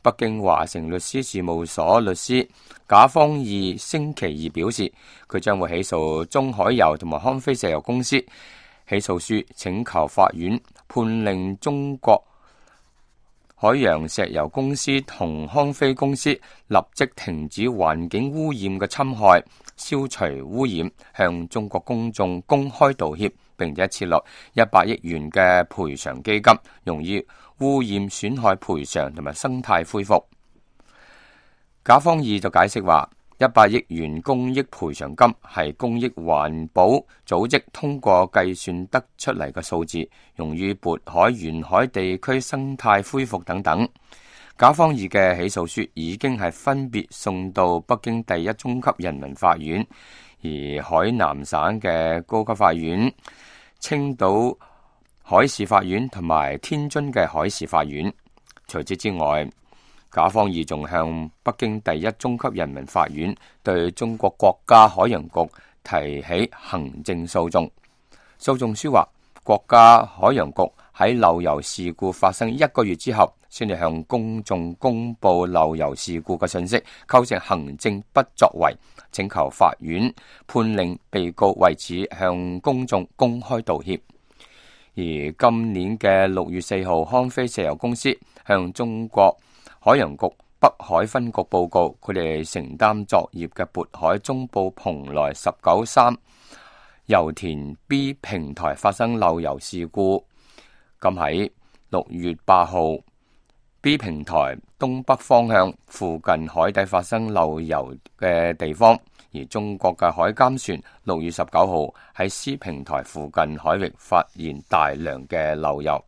北京華城律師事務所律師賈方義星期二表示，佢將會起訴中海油同埋康菲石油公司。起訴書請求法院判令中國海洋石油公司同康菲公司立即停止環境污染嘅侵害，消除污染，向中國公眾公開道歉，並且設立100億元嘅賠償基金，用於污染損害賠償同埋生態恢復。賈方義就解釋話，100億元公益賠償金係公益環保組織通過計算得出嚟嘅數字，用於渤海沿海地區生態恢復等等。賈方義嘅起訴書已經係分別送到北京第一中級人民法院，而海南省嘅高級法院、青島海事法院同埋天津嘅海事法院。除此之外，賈方義仲向北京第一中級人民法院對中國國家海洋局提起行政訴訟。訴訟書話，國家海洋局喺漏油事故發生1個月之後，先至向公眾公布漏油事故嘅信息，構成行政不作為，請求法院判令被告為此向公眾公開道歉。而今年嘅6月4號，康菲石油公司向中國海洋局北海分局報告，佢哋承擔作業嘅渤海中部蓬萊193油田 B 平台發生漏油事故。咁喺6月8號 B 平台東北方向附近海底發生漏油嘅地方，而中國嘅海監船6月19號喺 C 平台附近海域發現大量嘅漏油。